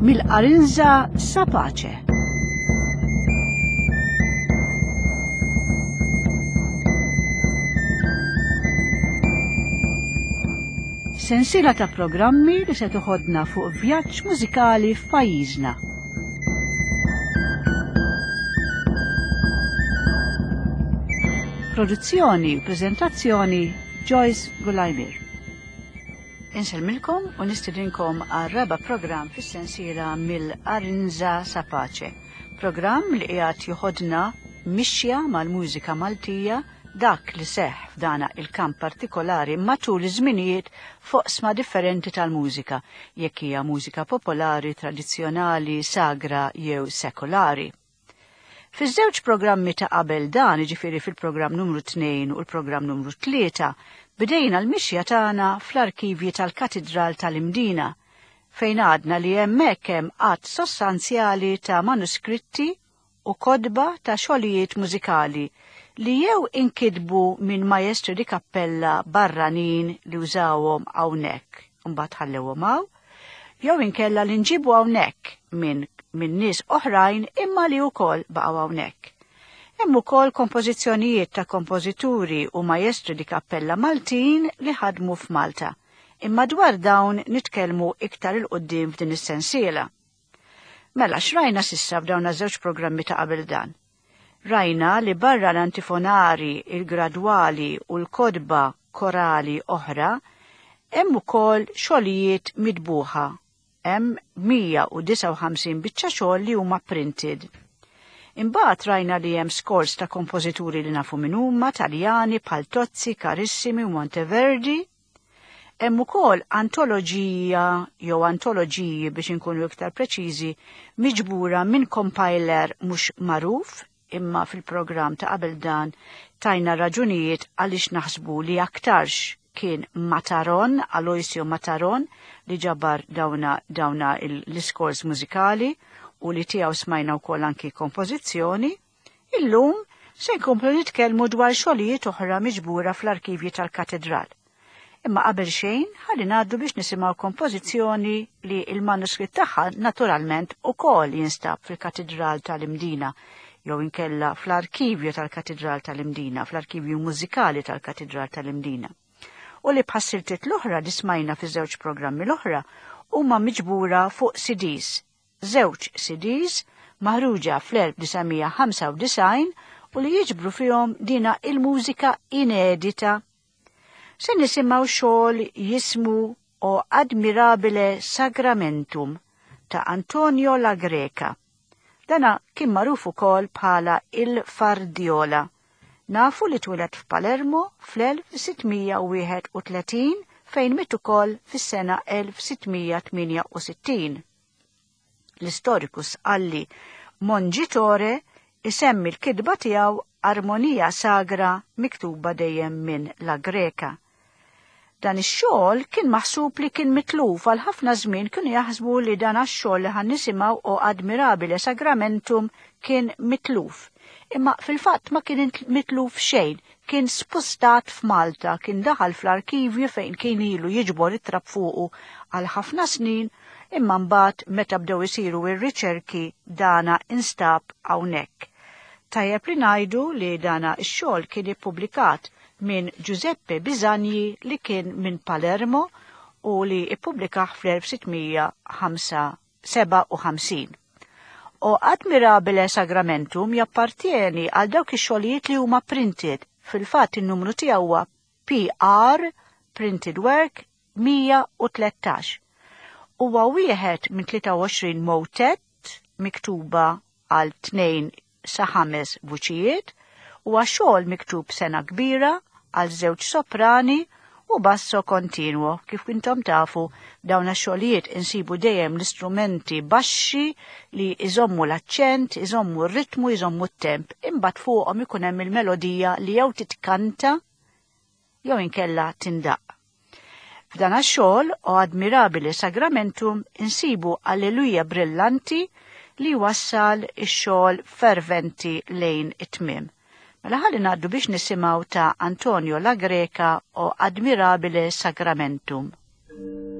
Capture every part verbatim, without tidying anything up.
Mill-Arinza sa Pace. Sensiela ta' programmi li se toħodna fuq vjaġġ mużikali f'pajjiżna. Produzzjoni u preżentazzjoni Joyce Gulajmir. Insellmilkom u nistedinkom għal raba' programm fis-sensiela mill-Arinza sa Pace. Programm li qiegħed joħodna mixja mal-mużika Maltija, dak li seħħ f'dana il-kamp partikolari matul iż-żminijiet f'oqsma differenti tal-mużika, jekk hija mużika popolari, tradizzjonali, sagra jew sekolari. Fiż-żewġ programmi ta' qabel dan, jiġifieri fil-programm numru tnejn u l-programm numru tlieta, bdejna l-mixja tagħna fl-arkivji tal-Katidral tal-Imdina, fejn għadna li hemmhekk hemm għadd sostanzjali ta' manuskritti u kodba ta' xogħlijiet mużikali li jew inkitbu minn maestri di kappella barranin li użawhom hawnhekk, imbagħad ħallewhom hawn, jew inkella li nġibu hawnhekk minn minn nies oħrajn imma li wkoll baqgħu hawnhekk. Hemm ukoll kompożizzjonijiet ta' kompożituri u maestri di kappella Maltin li ħadmu f'Malta. Imma dwar dawn nitkellmu iktar il quddiem f'din is-sensiela. Mela x'rajna sissa f'dawn iż-żewġ programmi ta' qabel dan? Rajna li barra l-antifonari, il-gradwali u l-kodba korali oħra, hemm ukoll xogħlijiet mitbuħa. Hemm mija u disgħa u ħamsin biċċa xogħol li huma printed. Imbagħad rajna li hemm scores ta' kompożituri li nafu min huma, Taljani, bħal Tozzi, Carissimi u Monteverdi. Hemm ukoll antoloġija jew antoloġiji biex inkunu iktar preċiżi miġbura minn compiler mhux magħruf, imma fil-programm ta' qabel dan tajna raġunijiet għaliex naħsbu li aktarx kien Mataron, Aloisio Mataron, li ġabar dawna, dawna il-, l-iskors mużikali u li tiegħu smajna wkoll anki kompożizzjoni. Illum se nkomplu nitkellmu dwar xogħlijiet oħra miġbura fl-arkivji tal-Katedral. Imma qabel xejn ħalli ngħaddu biex nisimgħu kompożizzjoni li l-manuskritt tagħha naturalment ukoll jinstab fil-Katedral tal-Imdina, jew inkella fl-arkivju tal-Katedral tal-Imdina, fl-arkivju mużikali tal-Katedral tal-Imdina. U li bħas-siltiet l-oħra li smajna fi żewġ programmi l-oħra huma miġbura fuq C Ds. Żewġ C Ds maħruġa fl-elf disa' mija ħamsa u disgħin u li jiġbru fihom dina il-mużika inedita. Se nisimgħu xogħol jismu O Admirabile Sacramentum ta' Antonio La Greca. Dana kien magħruf ukoll bħala il-Fardiola. Nafu li twieled f'Palermo fl-elf sittmija u wieħed u tletin fejn miet ukoll fis-sena elf sittmija tmienja u sittin. L-istoriku Sqalli Mongitore isemmi l-kitba tiegħu Armonia Sagra miktuba dejjem minn La Greca. Dan ix-xogħol kien maħsub li kien mitluf għal ħafna żmien kienu jaħsbu li dan għax-xogħol li ħan nisimgħu O Admirabile Sacramentum kien mitluf. Imma fil-fatt ma kien mitluf xejn, kien spostat f'Malta, kien daħal fl-arkivju fejn kien ilu jiġbor it-trab fuqu għal ħafna snin, imma mbagħad meta bdew isiru r-riċerki dana instab hawnhekk. Tajjeb li ngħidu li dana x-xogħol kien ippubblikat minn Giuseppe Bisagni li kien minn Palermo u li ippubblikah fl-elf sittmija ħamsa seba' u ħamsin. O Admirabile Sacramentum jappartieni għal dawk ix-xogħlijiet li huma printed. Fil-fatt in-numru tiegħu huwa P R Printed Work mija u tlettax. Huwa wieħed minn tlieta u għoxrin motet miktuba għal tnejn sa ħames vuċijiet, huwa xogħol miktub sena kbira għal żewġ soprani u basso continuo. Kif intom tafu, dawn ix-xogħlijiet insibu dejjem l-istrumenti baxxi li iżommu l-aċċent, iżommu r-ritmu, iżommu t-temp, imbagħad fuqhom ikun hemm il-melodija li jew titkanta jew inkella tindaq. F'dan ix-xogħol O Admirabile Sacramentum insibu Alleluja brillanti li wassal ix-xogħol ferventi lejn it-tmiem. Mela ħalli ngħaddu biex nisimgħu ta' Antonio La Greca O Admirabile Sacramentum. Thank you.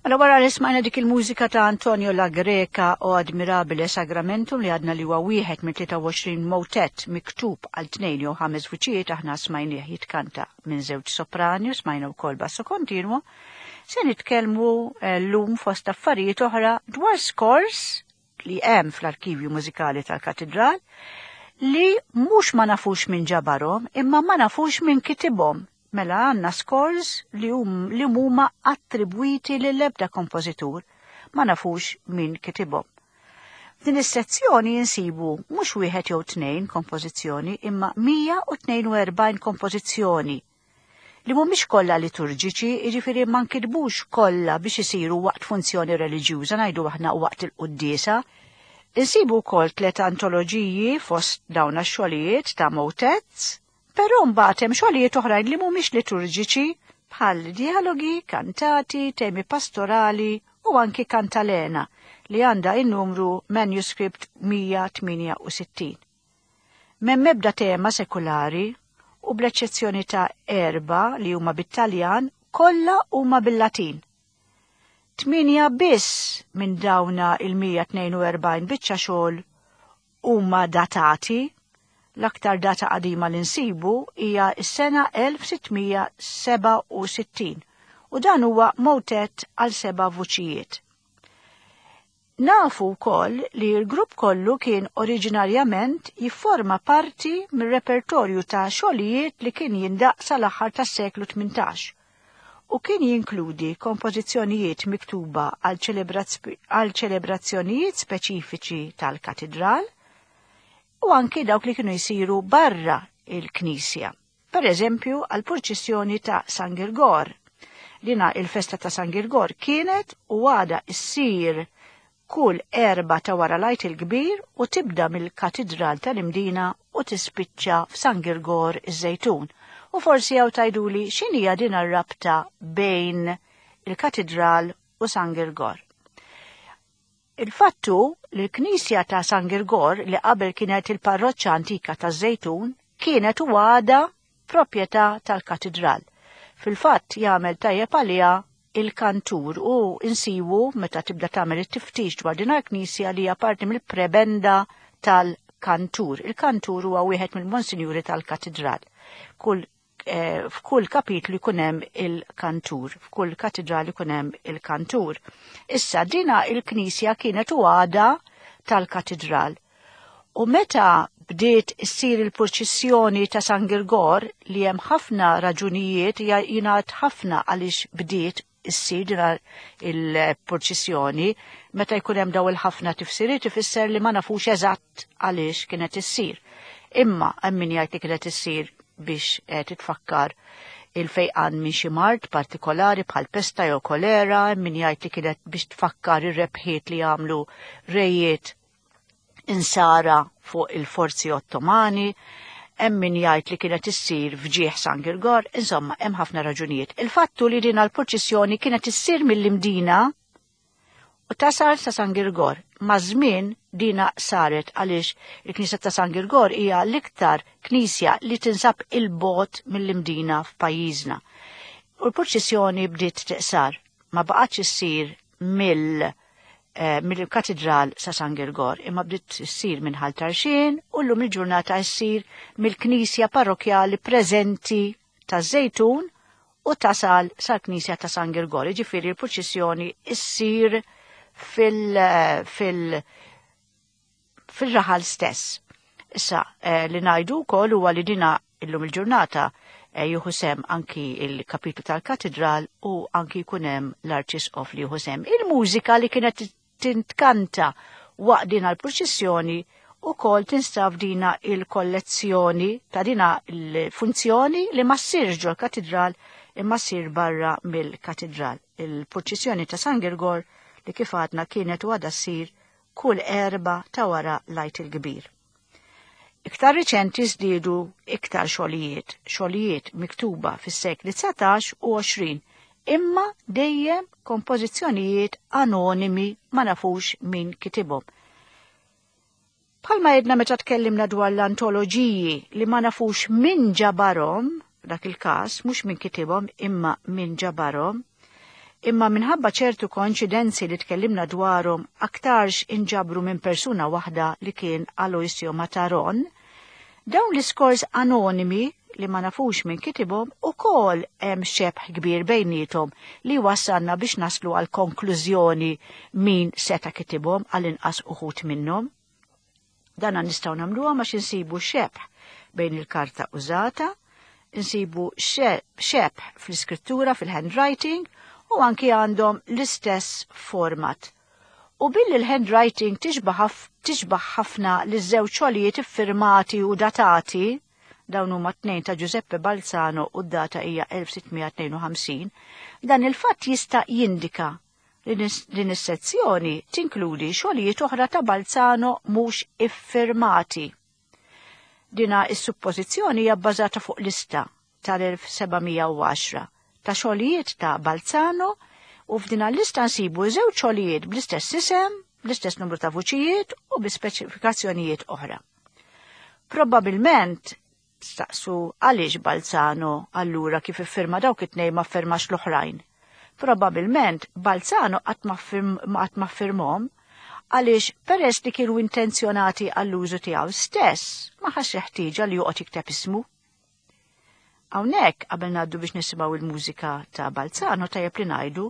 Mela wara li smajna dik il-mużika ta' Antonio La Greca o Admirabile Sacramentum li għadna li huwa wieħed minn tlieta u għoxrin motet miktub għal tnejn jew ħames vuċijiet, aħna smajnieh jitkanta minn żewġ soprani u smajna wkoll basso continuo, se nitkellmu llum fost affarijiet oħra dwar scores li hemm fl-arkivju mużikali tal-Katidral li mhux ma nafux minn ġabarhom imma ma nafux minn kitibhom. Mela għandna scores li hum, li huma attribwiti lill-ebda kompożitur, ma nafux min kitibhom. F'din is-sezzjoni insibu mhux wieħed jew tnejn kompożizzjoni imma mija u tnejn u erbgħin kompożizzjoni li mhumiex kollha liturġiċi, jiġifieri ma nkitbux kollha biex isiru waqt funzjoni reliġjuża, ngħidu aħna waqt il-quddiesa. Insibu wkoll tliet antoloġiji fost dawn għax-xogħlijiet ta' motets, però mbagħad hemm xogħlijiet oħrajn li mhumiex liturġiċi bħal dialogi, kantati, temi pastorali u anki kantalena li għandha in-numru manuscript mija tmienja u sittin. M'hemm ebda tema sekulari u bl-eċċezzjoni ta' erba li huma bit-Taljan, kollha huma bil-Latin. Tmienja biss minn dawna il-mija tnejn u erbgħin biċċa xogħol huma datati. L-aktar data qadima li nsibu hija s-sena elf sittmija seba' u sittin u dan huwa motet għal seba' vuċijiet. Nafu wkoll li l-grupp kollu kien oriġinarjament jifforma parti mir-repertorju ta' xogħlijiet li kien jindaq sal-aħħar tas-seklu tmintax u kien jinkludi kompożizzjonijiet miktuba għal ċelebrazz-, għal ċelebrazzjonijiet speċifiċi tal-katidral u anki dawk li kienu jsiru barra il-Knisja. Per eżempju, għal purċissjoni ta' San Girgor. Lina il-festa ta' San Girgor kienet u għada issir kull erba ta' wara l-Għid il-Kbir u tibda mill-Katidral tal-Imdina u tispiċċa f'San Girgor iż-Żejtun. U forsi hawn tgħiduli x'inhija din ar-rabta bejn il-Katidral u San Girgor. Il-fattu li l-Knisja ta' San Girgor, li qabel kienet il-parroċċa antika ta' Żejtun, kienet u għada proprjetà tal-katidral. Fil-fatt jagħmel tajjeb għaliha il-kantur u insibu meta tibda tagħmel it-tiftix dwar din il-knisja li hija parti mill-prebenda tal-kantur. Il-kantur huwa wieħed mill-monsinjuri tal-katidral. Kull, eh, f'kull kapitlu jkun hemm il-kantur, f'kull katidral jkun hemm il-kantur. Issa dina il-knisja kienet u għada tal-katidral. U meta bdiet issir il-purċissjoni ta' San Girgor, li hemm ħafna raġunijiet, jingħad ħafna għaliex bdiet issir dina il-purċissjoni, meta jkun hemm daw il-ħafna tifsiriet ifisser li ma nafux eżatt għaliex kienet issir. Imma hemm min jgħid li kienet issir biex, eh, titfakkar il-fejqan minn xi mard partikolari bħal pesta jew kolera, hemm min jgħid li kienet biex tfakkar ir-rebħiet li għamlu rejiet insara fuq il-forzi Ottomani, hemm min jgħid li kienet issir f'ġieħ San Girgor, insomma hemm ħafna raġunijiet. Il-fattu li din l-purċissjoni kienet issir mill-Imdina u tasal sa San Girgor. Ma' żmien dina saret għaliex il-Knisja ta' San Girgor hija l-iktar knisja li tinsab il-bogħod mill-Imdina f'pajjiżna. U l-purċissjoni bdiet tiqsar, ma baqgħetx issir mill-, eh, mill-katidral sa San Girgor, imma bdiet issir minn Ħal Tarxien u llum il-ġurnata ssir mill-Knisja Parrokjali preżenti ta' Żejtun u tasal sal-Knisja ta' San Girgor. Jiġifieri l-purċissjoni ssir fil-, fil-, fil-raħal stess. Issa, eh, li ngħidu wkoll huwa li dina illum il-ġurnata, eh, jieħu sem anki il-kapitlu tal-katedral u anki jkun hemm l-arċisqof li jieħu sem. Il-mużika li kienet tintkanta waqt dina l-purċissjoni ukoll tinstab dina il-kollezzjoni ta' dina il-funzjoni li ma ssirx ġol-katedral imma ssir barra mill-katedral. Il-purċissjoni ta' San Girgor li kif għadna kienet u għadha ssir kull erba ta' wara l-Għid il-Kbir. Iktar riċenti żdiedu iktar xogħlijiet, xogħlijiet miktuba fis-sekli dsatax u għoxrin, imma dejjem kompożizzjonijiet anonimi ma nafux min kitibhom. Bħalma jedna meta tkellimna dwar l-antoloġiji li ma nafux min ġabarhom, dak il-każ mhux min kitibhom imma min ġabarhom, imma minħabba ċertu koinċidenzi li tkellimna dwarhom aktarx inġabru minn persuna waħda li kien Aloisio Mataron, dawn l-iskors anonimi li ma nafux minn kitibhom ukoll hemm xebh kbir bejnietom li wassalna biex naslu għal konklużjoni min seta' kitibhom għal inqas uħud minnhom. Dana nistgħu nagħmluha għax insibu xebh bejn il-karta użata, insibu xebh fl-iskrittura, fil-handwriting, u anki għandhom l-istess format. U billi l-handwriting tixbaħ ħafna li żewġ xogħlijiet iffirmati u datati, dawn huma tnejn ta' Giuseppe Balzano u d-data hija elf sitt mija tnejn u ħamsin, dan il-fatt jista' jindika li din is-sezzjoni tinkludi xogħlijiet oħra ta' Balzano mhux iffirmati. Dina is-suppożizzjoni hija bbażata fuq lista tal-elf seba' mija u għaxra ta' xogħlijiet ta' Balzano u f'din l-lista nsibu żewġ xogħlijiet bl-istess isem, bl-istess numru ta' vuċijiet u bi speċifikazzjonijiet oħra. Probabilment staqsu għaliex Balzano allura kif iffirma dawk it-tnejn ma ffirmax l-oħrajn. Probabilment Balzano qatt ma ffirmhom għaliex peress li kienu intenzjonati għall-użu tiegħu stess, ma ħass ħtieġa li joqgħod jikteb ismu. Hawnhekk qabel ngħaddu biex nisimgħu il-mużika ta' Balzano, tajjeb li ngħidu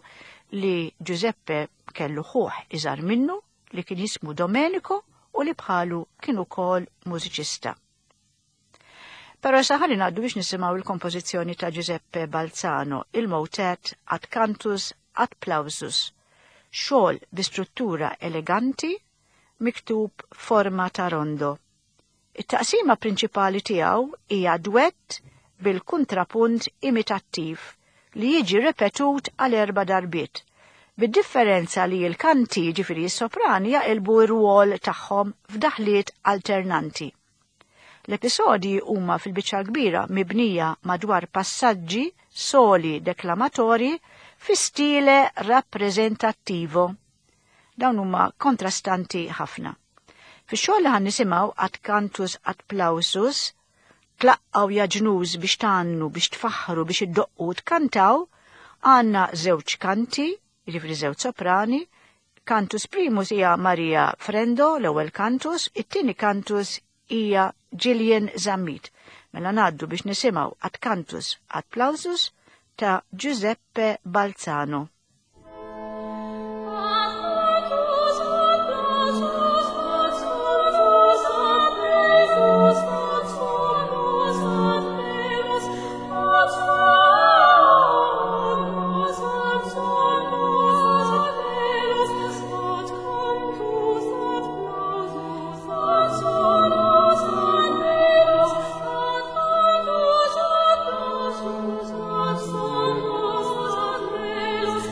li Giuseppe kellu ħuh iżgħar minnu li kien jismu Domenico u li bħalu kien ukoll mużiċista. Però issa ħalli ngħaddu biex nisimgħu il-kompożizzjoni ta' Giuseppe Balzano, il-motet Ad Cantus ad Plausus, xogħol bi struttura eleganti miktub forma ta' rondo. It-taqsima prinċipali tiegħu hija duett bil-kontrapunt imitattiv li jiġi ripetut għal erba' darbiet, bid-differenza li l-kanti, ġifieri s-soprani, jaqilbu r-rwol tagħhom f'daħliet alternanti. L-episodji huma fil-biċċa kbira mibnija madwar passaġġi soli deklamatori fi stile rappresentattivo. Dawn huma kontrastanti ħafna. Fix-xogħol li ħan nisimgħu Ad Cantus ad Plausus, tlaqqaw ja ġnus biex tgħannu, biex tfaħħru, biex iddoqqu tkantaw, għandna żewġ kanti, jiġifieri żewġ soprani. Cantus primus hija Maria Frendo, l-ewwel cantus, it-tieni cantus hija Gillian Zammit. Mela ngħaddu biex nisimgħu Ad Cantus ad Plausus ta' Giuseppe Balzano. Ad cantus ad plausus ad solus ad melos ad sonos ad melos ad sonos ad sonos ad melos ad cantus ad plausus ad sonos ad melos ad cantus ad plausus ad sonos ad melos.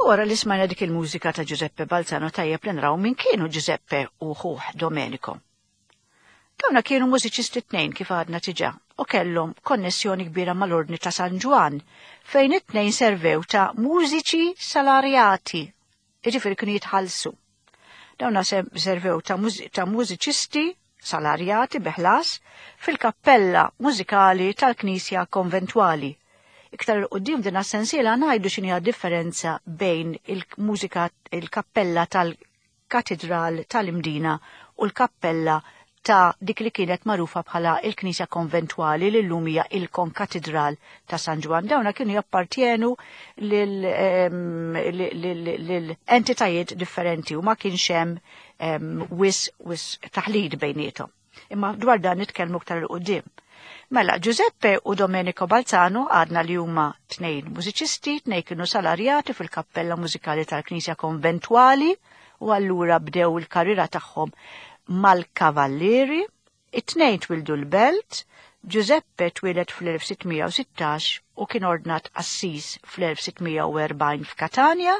Wara li smajna dik il-mużika ta' Giuseppe Balzano, tajjeb li nraw min kienu Giuseppe u ħuh Domenico. Dawna kienu mużiċisti tnejn, kif għadna diġà, u kellhom konnessjoni kbira mal-Ordni ta' San Ġwann, fejn it-tnejn servew ta' mużiċi salarjati, jiġifieri kienu jitħallsu. Dawna servew ta', ta mużiċisti salarjati bi ħlas fil-kappella mużikali tal-Knisja Konventwali. Iktar 'il quddiem din sensiela ngħidu x'inhi differenza bejn il-mużika, il-kappella tal-Katedral tal-Imdina u l-kappella ta' dik li kienet magħrufa bħala il-Knisja Konventwali, li llum hija il-Konkatedral ta' San Ġwann. Dawna kienu jappartjenu lil entitajiet differenti u ma kienx hemm wisq wisq taħlid bejniethom. Imma dwar dan nitkellmu iktar 'il quddiem. Mela, Giuseppe u Domenico Balzano għadna li huma tnejn mużiċisti, tnejn kienu salarjati fil-kappella mużikali tal-Knisja Konventwali u allura bdew il-karriera tagħhom mal-Kavallieri. It-tnejn twildu l-Belt. Giuseppe twieled fl-elf sitt mija u sittax u kien ordnat qassis fl-elf sitt mija u erbgħin f'Katania,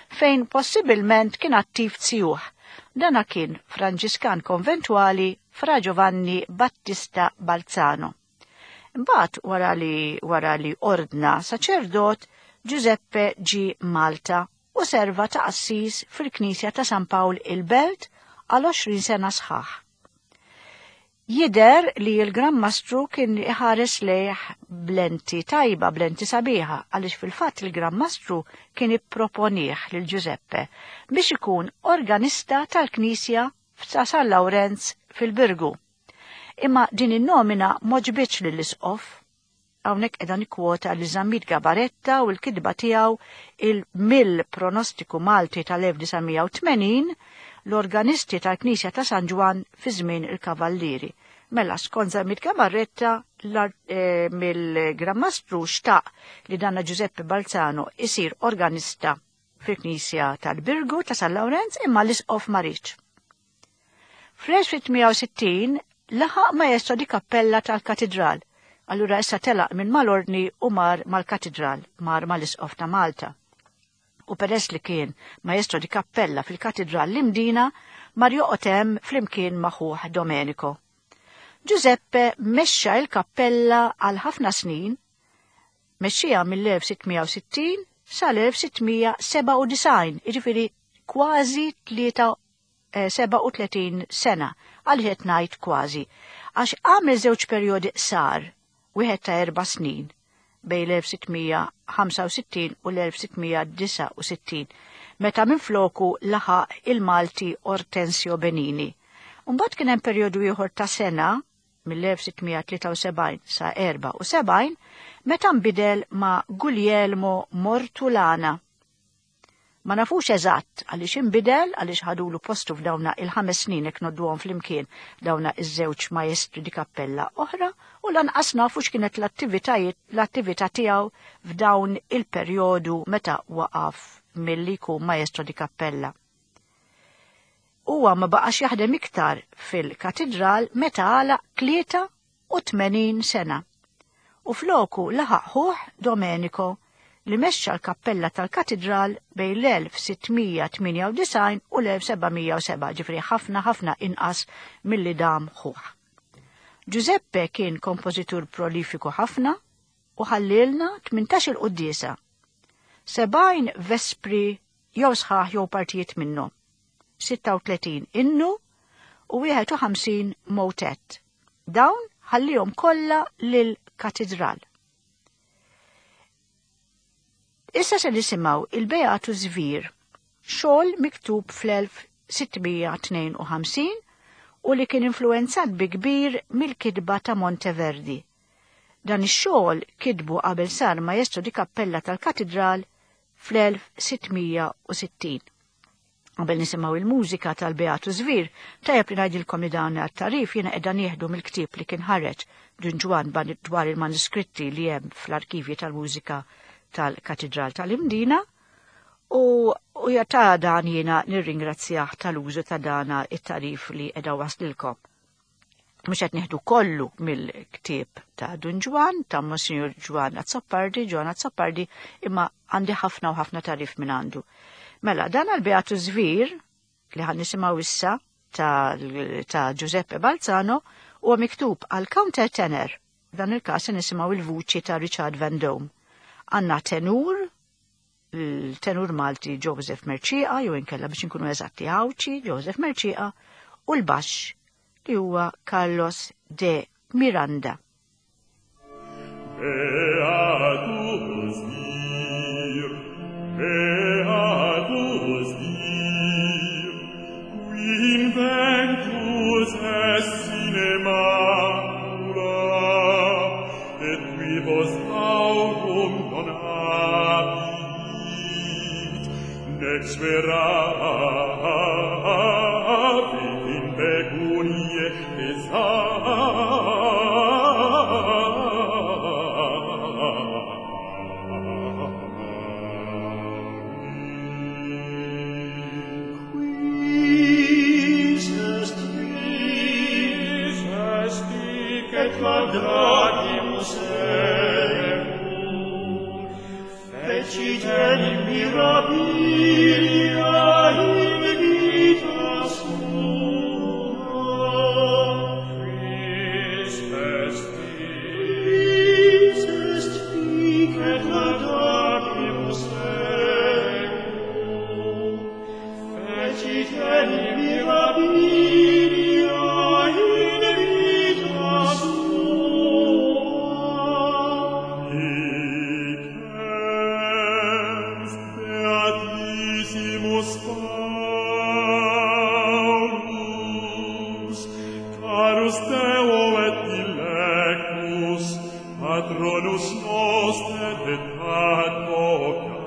fejn possibilment kien attiv zijuh. Dana kien Franġiskan konventwali, Fra Giovanni Battista Balzano. Imbagħad, wara li wara li ordna saċerdot, Giuseppe ġi Malta u serva ta' qassis fil-Knisja ta' San Pawl il-Belt għal għoxrin sena sħaħ. Jider li l-Gran Mastru kien iħares lejh blenti tajba, blenti sabiħa, għaliex fil-fatt il-Gran Mastru kien ipproponih lil Giuseppe biex ikun organista tal-Knisja ta' San Lawrenz fil-Birgu. Imma din in-nomina m'għoġbitx lill-isqof. Hawnhekk qiegħda nikkwota li Zammit Gabaretta u l-kitba tiegħu il-mill pronostiku Malti tal-elf disa' mija u tmenin, l-organisti tal-Knisja ta' San Ġwann fi żmien il-Kavallieri. Mela, skont Zammit Gabaretta, eh, mill-Gran Mastru xtaq li danna Giuseppe Balzano isir organista fil-Knisja tal-Birgu ta' San Lawrenz, imma l-isqof ma riedx. Fl-elf sitt mija u sittin laħaq maestro di kappella tal-katedral. Allura issa telaq minn mal-ordni u mar mal-katedral, mar mal-isqof ta' Malta. U peress li kien maestro di kappella fil-katedral l-Imdina, mar joqgħod hemm flimkien ma' ħuh Domenico. Giuseppe mexxa il-kappella għal ħafna snin, mexxija mill-elf sitt mija u sittin sal-elf sitt mija u sebgħa u disgħin, jiġifieri kważi sebgħa u tletin sena. Għaliex ngħid kważi? Għax għamel żewġ perjodi qsar, wieħed ta' erba' snin bejn l-elf sitt mija u ħamsa u sittin u l-elf sitt mija u disgħa u sittin, meta minn floku laħaq il-Malti Ortensio Benini. Mbagħad kien hemm perjodu ieħor ta' sena mill-elf sitt mija tlieta u sebgħin sa erbgħa u sebgħin, meta nbidel ma' Guglielmo Mortulana. Ma nafux eżatt għaliex inbidel, għaliex ħadulu postu f'dawna il-ħames snin jekk ngħodduhom flimkien dawna iż-żewġ maestri di kappella oħra, u lanqas nafu x'kienet l-attivitajiet l-attività tiegħu f'dawn il-perjodu meta waqaf milli jkun maestro di kappella. Huwa ma baqax jaħdem iktar fil-katedral meta għalaq tlieta u tmenin sena. U floku laħaq ħuh Domenico, li mexxa l-kappella tal-katedral bejn l-elf sitt mija tmienja u disgħin u l-elf seba' mija u sebgħa, ġifieri ħafna ħafna inqas milli dam ħuh. Giuseppe kien kompożitur prolifiku ħafna u ħallilna tmintax il-quddiesa, sebgħin vespri jew sħaħ jew partijiet minnhom, sitta u tletin innu u wieħed u ħamsin motet. Dawn ħallihom kollha lil-katedral. Issa se nisimgħu il-Beatu Zvir, xogħol miktub fl-elf sitt mija tnejn u ħamsin u li kien influenzat bi kbir mill-kitba ta' Monteverdi. Dan ix-xogħol kitbu qabel sar maestro di kappella tal-katedral fl-elf sitt mija u sittin. Qabel nisimgħu il-mużika tal-Beatu Zvir, tajjeb li ngħidilkom li dan għat-tarif jiena qiegħda nieħdu mill-ktieb li kien ħareġ Dun Ġwann dwar il-manuskritti li hemm fl-arkivji tal-mużika tal-Katedral tal-Imdina, u, u ta' dan jiena nirringrazzjah tal-użu ta' dana it-tarif li qiegħda waslilkom. Mhux qed nieħdu kollu mill-ktieb ta' Dun Ġwann, ta' Monsignor Ġwann Azzopardi, Ġwann Azzopardi, imma għandi ħafna u ħafna tagħrif minn għandu. Mela, dan għal-Beatus Vir, li ħan nisimgħu issa ta', ta' Giuseppe Balzano, huwa miktub għal counter tenor. Dan il-każ nisimgħu il-vuċi ta' Richard Van Dome. Għandna tenur, il-tenur Malti Joseph Mercieca, jew inkella biex inkunu eżatti Għawdxi, Joseph Mercieca, u l-baxx li huwa Carlos de Miranda. Beatus vir, beatus vir, qui inventus est sine macula, et quibus aurum non habit, nec spera in pecunie Quis est quis est hic et laudamus eum, fecit enim mirabilia in vita sua. Quis est quis est hic et laudamus eum, fecit enim mirabilia in vita sua. Hic est beatissimus Paulus, carus Deo et dilectus, patronus noster et advocatus.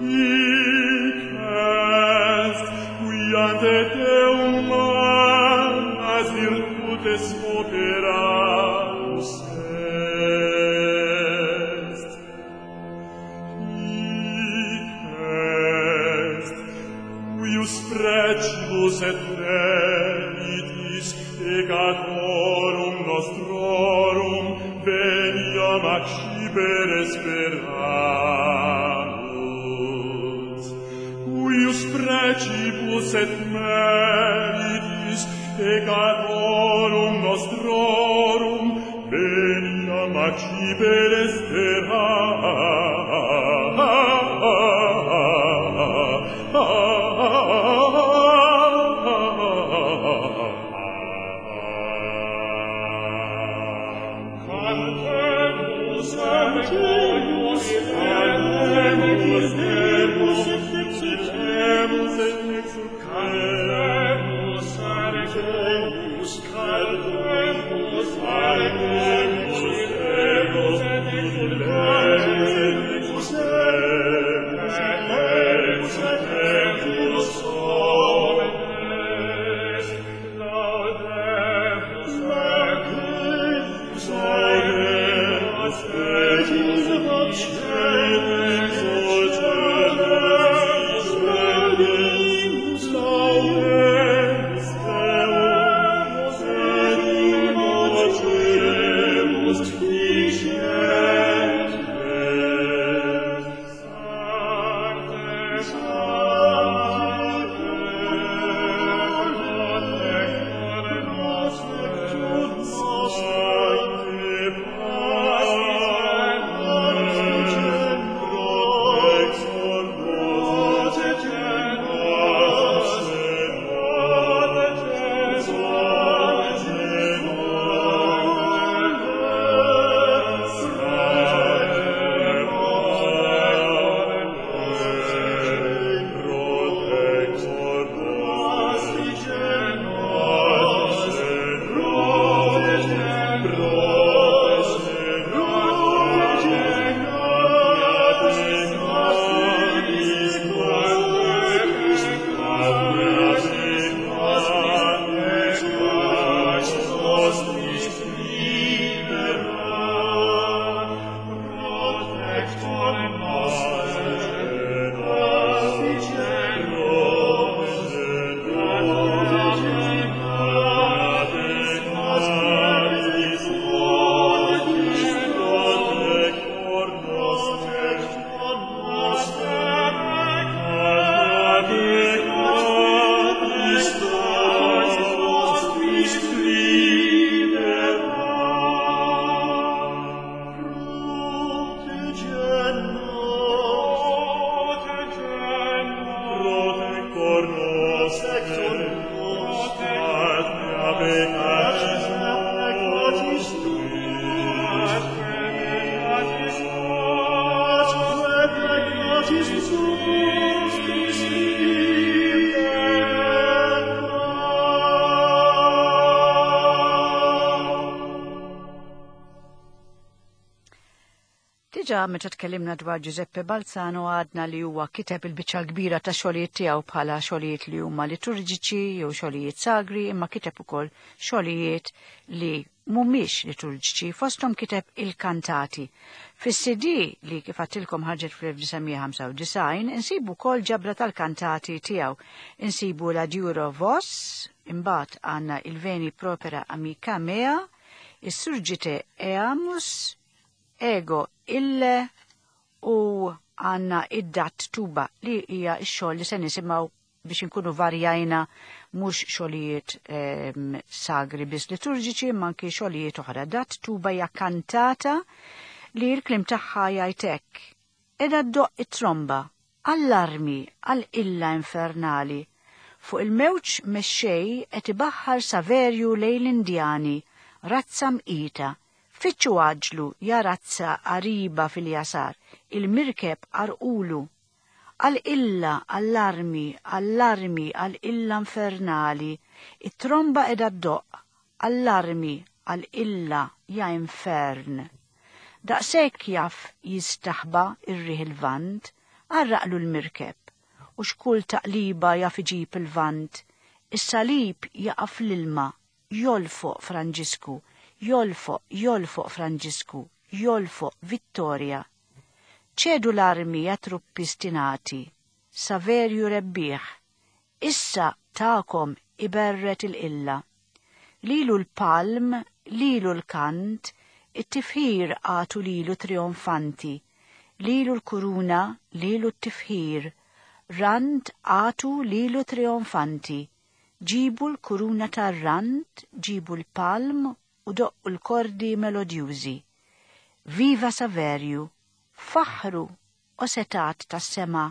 Hic est, qui ante Deum magnas virtutes operatus est. Hic est, cuius precibus et meritis peccatorum nostrorum veniam accipere speramus. Cuius precibus et meritis peccatorum nostrorum veniam accipere speramus. Cantemus, cantemus, cantemus, demus et exultemus, cantemus, cantemus, cantemus, cantemus, demus et exultemus. Diġà meta tkellimna dwar Giuseppe Balzano għadna li huwa kiteb il-biċċa kbira ta' xogħlijiet tiegħu bħala xogħlijiet li huma liturġiċi jew xogħlijiet sagri, imma kiteb ukoll xogħlijiet li mhumiex liturġiċi, fosthom kiteb il-kantati. Fis-C D li kif għadtilkom ħarġet fl-elf disa' mija ħamsa u disgħin insibu wkoll ġabra tal-kantati tiegħu. Insibu la Duro Vos, imbagħad għandna il-Veni Propera Amica Mea, is-Surgite Eamus, Ego Ille u għanna id-dat tuba li hija x-xogħol li se nisimgħu biex inkunu varjajna mhux xogħlijiet, ehm, sagri biss liturġiċi imma anki xogħlijiet oħra. Dat tuba hija kantata li l-kliem tagħha jgħid hekk. Edha ddoq it-tromba, allarmi għal-illa infernali. Fuq il-mewġ mexxej qed ibaħħar Saverju lejn l-Indjani, razza mqita. Fittxu għaġlu ja razza qariba fil-jasar, il-mirkeb arqulu. Għal-illa, allarmi, allarmi, għal-illa infernali, it-tromba edha ddoq, allarmi, għal-illa, ja infern. Daqshekk jaf jistaħba ir-riħ il-vant, għarraqlu l-mirkeb, u xkull taqliba jaf iġib il-vant, is-salib jaqaf l-ilma, jolfoq Franġisku, jolfoq, jolfoq Franġisku, jolfoq Vittoria. Ċedu l-armi ja truppi stinati, Saverju rebbieħ, issa ta'kom iberret il-illa. Lilu l-palm, lilu l-kant, it-tifħir għatu lilu trionfanti, lilu l-kuruna, lilu t-tifħir, rant għatu lilu trionfanti, ġibu l-kuruna tar-rant, ġibu l-palm u doqqu l-kordi melodjużi. Viva Saverju, faħru o setat tas-sema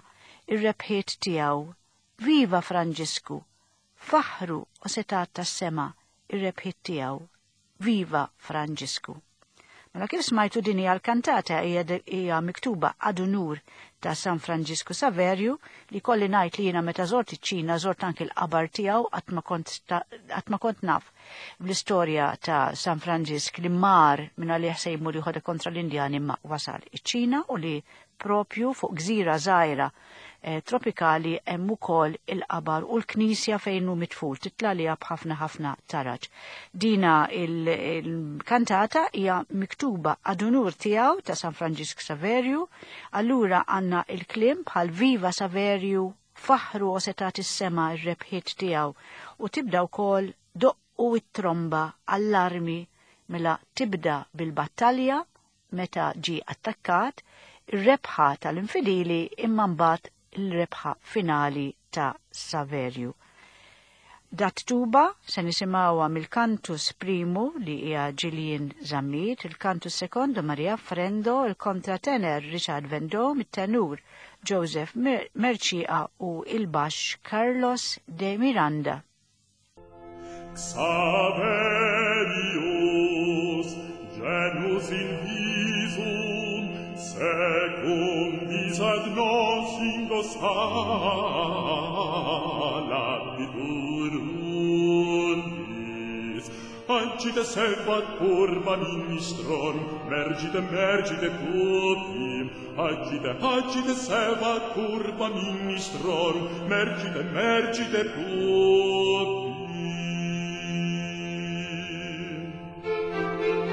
ir-rebħiet tiegħu. Viva Franġisku, faħru o setat tas-sema ir-rebħiet tiegħu. Viva Franġisku. Mela kif smajtu din hija l-kantata hija de-, hija miktuba ad unur ta' San Franġisku Saverju, li kolli ngħid li jiena meta żort iċ-Ċina żort anki l-qabar tiegħu qatt ma kont ta-, qatt ma kont naf bl-istorja ta' San Franġisk li mar minn għalih se jmur jieħodha kontra l-Indjani ma wasal iċ-Ċina u li propju fuq gżira żgħira, eh, tropikali hemm ukoll il-qabar u l-knisja fejn hu mitful titla' liha b'ħafna ħafna taraġ. Dina il-, il-kantata hija miktuba ad unur tiegħu ta' San Franġisk Saverju, allura għandna il-kliem bħal Viva Saverju, faħru o setat is-sema r-rebħiet tiegħu, u tibda wkoll doqqu it-tromba allarmi mela tibda bil-battalja meta ġie attakkat, ir-rebħa tal-infidili imma mbagħad il-rebħa finali ta' Saverju. Dat tuba se nisimgħuha mill-Cantus Primu li hija Gillian Zammit, il-Cantus Secondo Maria Frendo, il-kontratenor Richard Vendôme, it-tenur Joseph Mer-, Mercieca u il-baxx Carlos de Miranda. Xaverius, genus in visum, secundis ad nos in labitur undis. Ancite servat curva ministrorum, mergite, mergite pupim. Agite, agite servat curva ministrorum, mergite, mergite pupim. Thank you.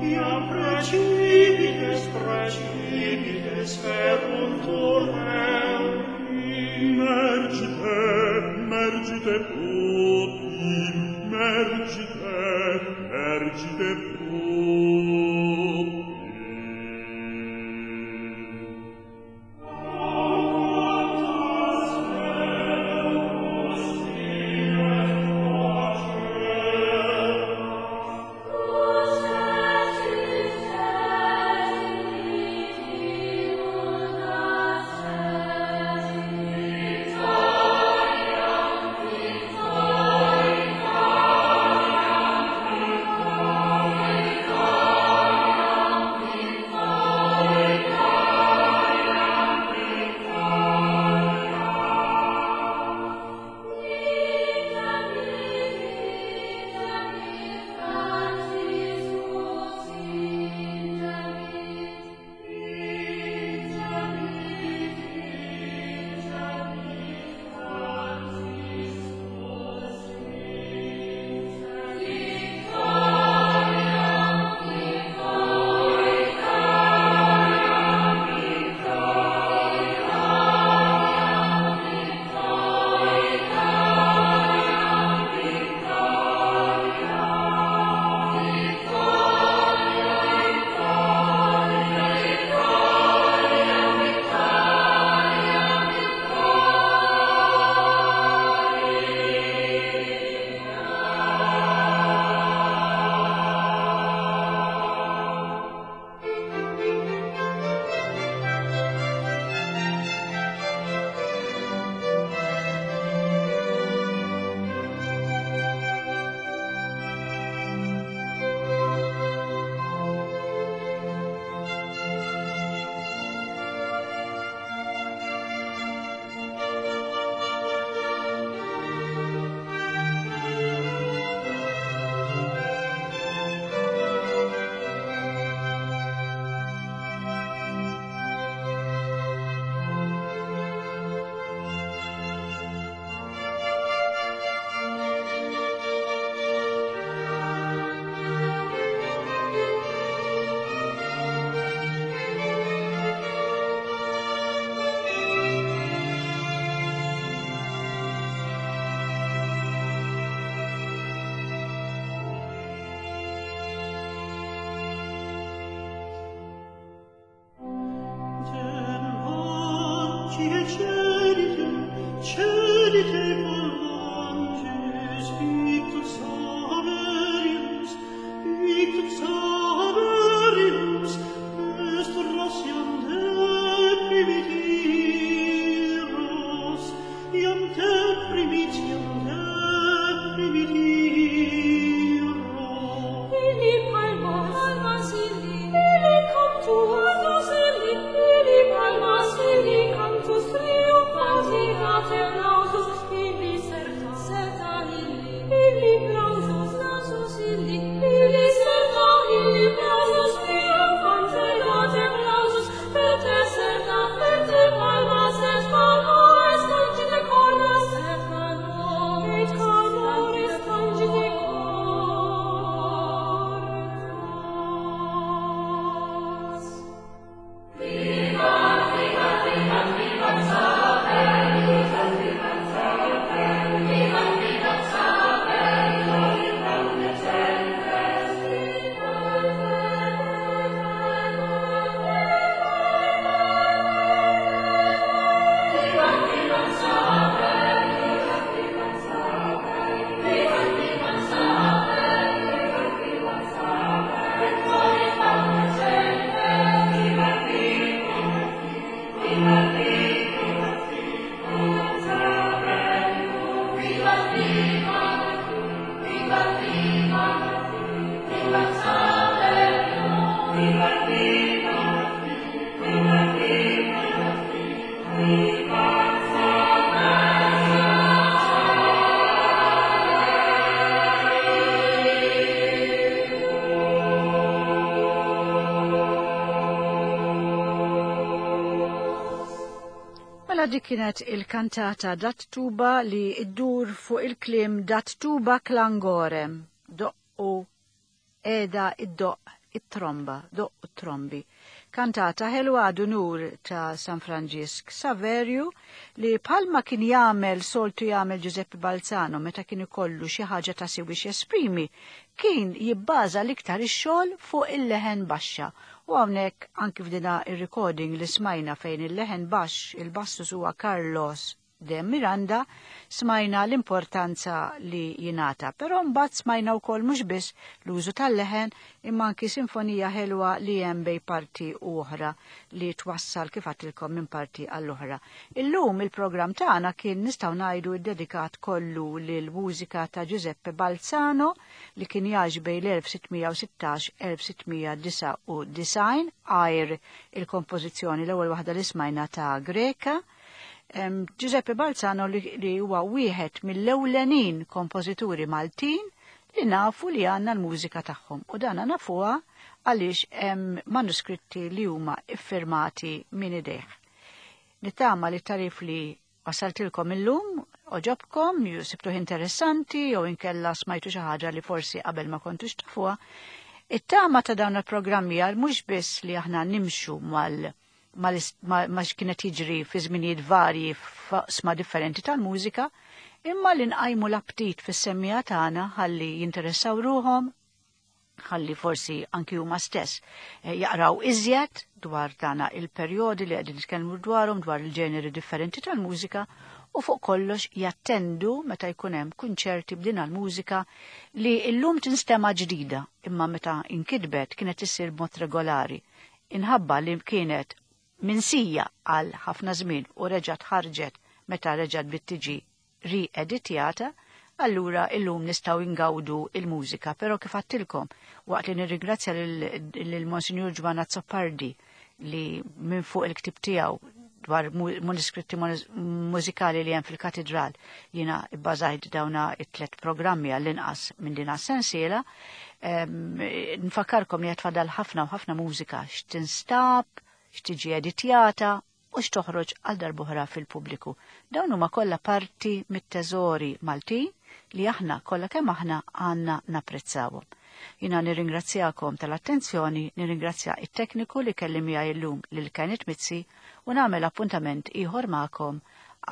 Iam precipites, precipites feruntur euri. Mergite, mergite tutti, mergite, mergite tutti. Mela dik kienet il-kantata Dat Tuba li iddur fuq il-kliem Dat Tuba Klangorem, doqqu eda id-doq It-Tromba, Doqqu t-Trombi. Kantata ħelwa għadu nur ta' San Franġisk Saverju li bħalma kien jagħmel soltu jagħmel Giuseppe Balzano meta kien ikollu xi ħaġa ta' siwi jesprimi, kien jibbaża l-iktar ix-xogħol fuq il-leħen baxxa. U hawnhekk anki f'dina ir-recording li smajna fejn il-leħen baxx il-bassus huwa Carlos de Miranda, smajna l-importanza li jingħata. Però mbagħad smajna wkoll mhux biss l-użu tal-leħen imma anki sinfonija ħelwa li hemm bejn parti u oħra li twassal kif għedtilkom minn parti għall-oħra. Illum il-programm tagħna kien nistgħu ngħidu ddedikat kollu lil mużika ta' Giuseppe Balzano li kien jgħix bejn l-elf sittmija u sittax elf sittmija disgħa u disgħin għajr il-kompożizzjoni l-ewwel waħda li smajna ta' Greka. Em, Giuseppe Balzano li, li huwa wieħed mill-ewlenin kompożituri Maltin li nafu li għandna l-mużika tagħhom. U dana nafuha għaliex hemm manuskritti li huma iffirmati minn idejh. Nittama li t-tarif li wasaltilkom illum oġobkom, ju sibtuh interessanti jew inkella smajtu xi ħaġa li forsi qabel ma kontux tafuha. It-tama ta' dawn il-programmi għal mhux biss li aħna nimxu mal ma x'kienet jiġri fi żminijiet varji f'oqsma differenti tal-mużika, imma li nqajmu l-aptit fis-semmija tagħna ħalli jinteressaw ruhom, ħalli forsi anki huma stess, eh, jaqraw iżjed dwar dana il-perjodi li qegħdin nitkellmu dwarhom, dwar il-ġeneri differenti tal-mużika, u fuq kollox jattendu meta jkun hemm kunċerti b'din l-mużika li llum tinstema' ġdida, imma meta inkitbet kienet issir b'mod regolari. Inħabba li kienet minsija għal ħafna żmien u reġgħet ħarġet meta reġgħet bdiet tiġi rieditjata, allura illum nistgħu ingawdu il-mużika. Però kif għedtilkom, waqt li nirringrazzja lil Monsignor Giovanna Azzopardi li minn fuq il-ktib tiegħu dwar mu-, manuskritti mużikali li hemm fil-katedral, jiena bbażajt dawna it-tlet programmi għall-inqas minn din sensiela. Em, nfakkarkom li qed tfadal ħafna u ħafna mużika x'tinstab, x'tiġi editjata u x'toħroġ għal darb'oħra fil-pubbliku. Dawn huma kollha parti mit-teżori Maltin li aħna kollha kemm aħna għandna napprezzawhom. Jiena nirringrazzjakom tal-attenzjoni, nirringrazzja it-tekniku li kelli miegħi llum lil Kenneth Mizzi u nagħmel appuntament ieħor magħkom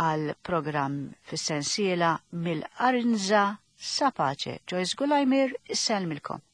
għal programm fis-sensiela mill-Arinza sa Pace. Joyce Gulajmir, issellmilkom.